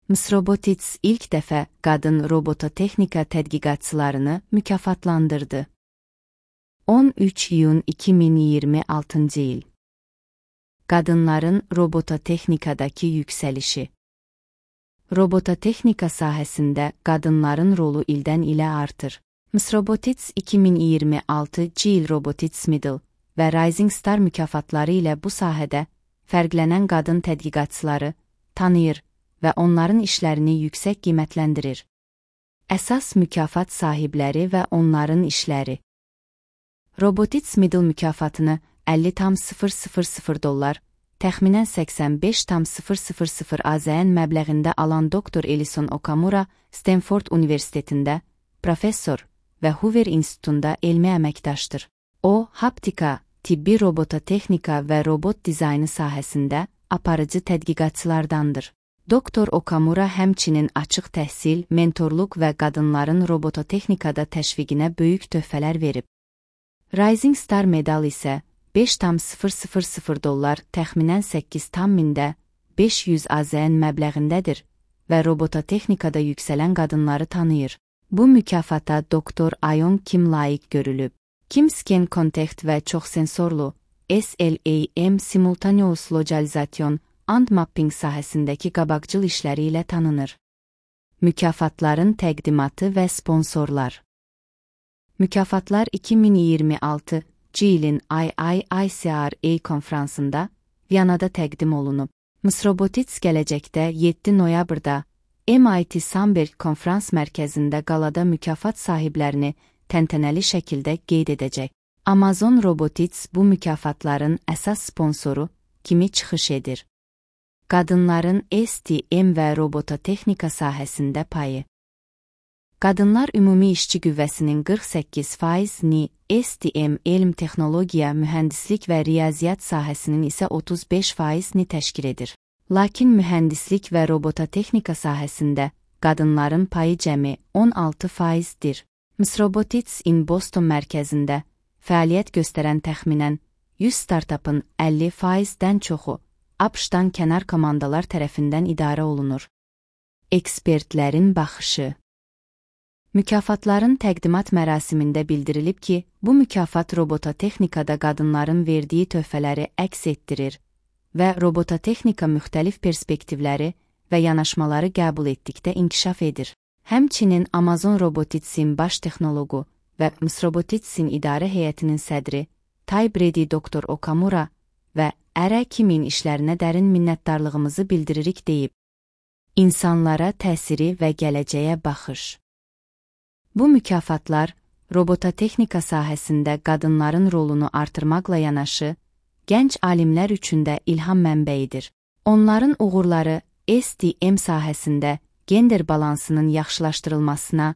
Msrobotics ilk dəfə qadın robototexnika tədqiqatçılarını mükafatlandırdı. 13 iyun 2026 il. Qadınların robototexnikadakı yüksəlişi. Robototexnika sahəsində qadınların rolu ildən ilə artır. Msrobotics 2026 il Robotics Middle və Rising Star mükafatları ilə bu sahədə fərqlənən qadın tədqiqatçıları tanıyır və onların işlərini yüksək qiymətləndirir. Əsas mükafat sahibləri və onların işləri. Robotics Middle mükafatını $50,000, təxminən $85,000 AZN məbləğində alan Dr. Ellison Okamura, Stanford Universitetində professor və Hoover İnstitutunda elmi əməkdaşdır. O, haptika, tibbi robototexnika və robot dizaynı sahəsində aparıcı tədqiqatçılardandır. Dr. Okamura həmçinin açıq təhsil, mentorluq və qadınların robototexnikada təşviqinə böyük töhfələr verib. Rising Star medal isə $5,000 təxminən 8,500 AZN məbləğindədir və robototexnikada yüksələn qadınları tanıyır. Bu mükafata Dr. Ayon Kim layiq görülüb. Kim Scan Contact və çoxsensorlu SLAM Simultaneous Localization and Mapping sahəsindəki qabaqcıl işləri ilə tanınır. Mükafatların təqdimatı və sponsorlar. Mükafatlar 2026 ilin IIICRA konfransında Viyanada təqdim olunub. Msrobotics gələcəkdə 7 noyabrda MIT Samberg konfrans mərkəzində qalada mükafat sahiblərini təntənəli şəkildə qeyd edəcək. Amazon Robotics bu mükafatların əsas sponsoru kimi çıxış edir. Qadınların STM və robototexnika sahəsində payı. Qadınlar ümumi işçi qüvvəsinin 48%-ni, STM, elm, texnologiya, mühəndislik və riyaziyyat sahəsinin isə 35%-ni təşkil edir. Lakin mühəndislik və robototexnika sahəsində qadınların payı cəmi 16%-dir. Msrobotics in Boston mərkəzində fəaliyyət göstərən təxminən 100 startupın 50%-dən çoxu ABŞ-dan kənar komandalar tərəfindən idarə olunur. Ekspertlərin baxışı. Mükafatların təqdimat mərasimində bildirilib ki, bu mükafat robototexnikada qadınların verdiyi töhfələri əks etdirir və robototexnika müxtəlif perspektivləri və yanaşmaları qəbul etdikdə inkişaf edir. Həmçinin Amazon Robotics'in baş texnoloqu və Msrobotics'in idarə heyətinin sədri Ty Brady Dr. Okamura və Kimin işlərinə dərin minnətdarlığımızı bildiririk deyib. İnsanlara təsiri və gələcəyə baxış. Bu mükafatlar robototexnika sahəsində qadınların rolunu artırmaqla yanaşı, gənc alimlər üçün də ilham mənbəyidir. Onların uğurları STM sahəsində gender balansının yaxşılaşdırılmasına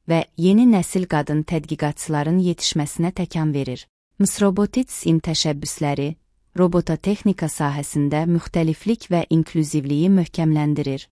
və yeni nəsil qadın tədqiqatçıların yetişməsinə təkan verir. Msrobotics'in təşəbbüsləri robototexnika sahəsində müxtəliflik və inklüzivliyi möhkəmləndirir.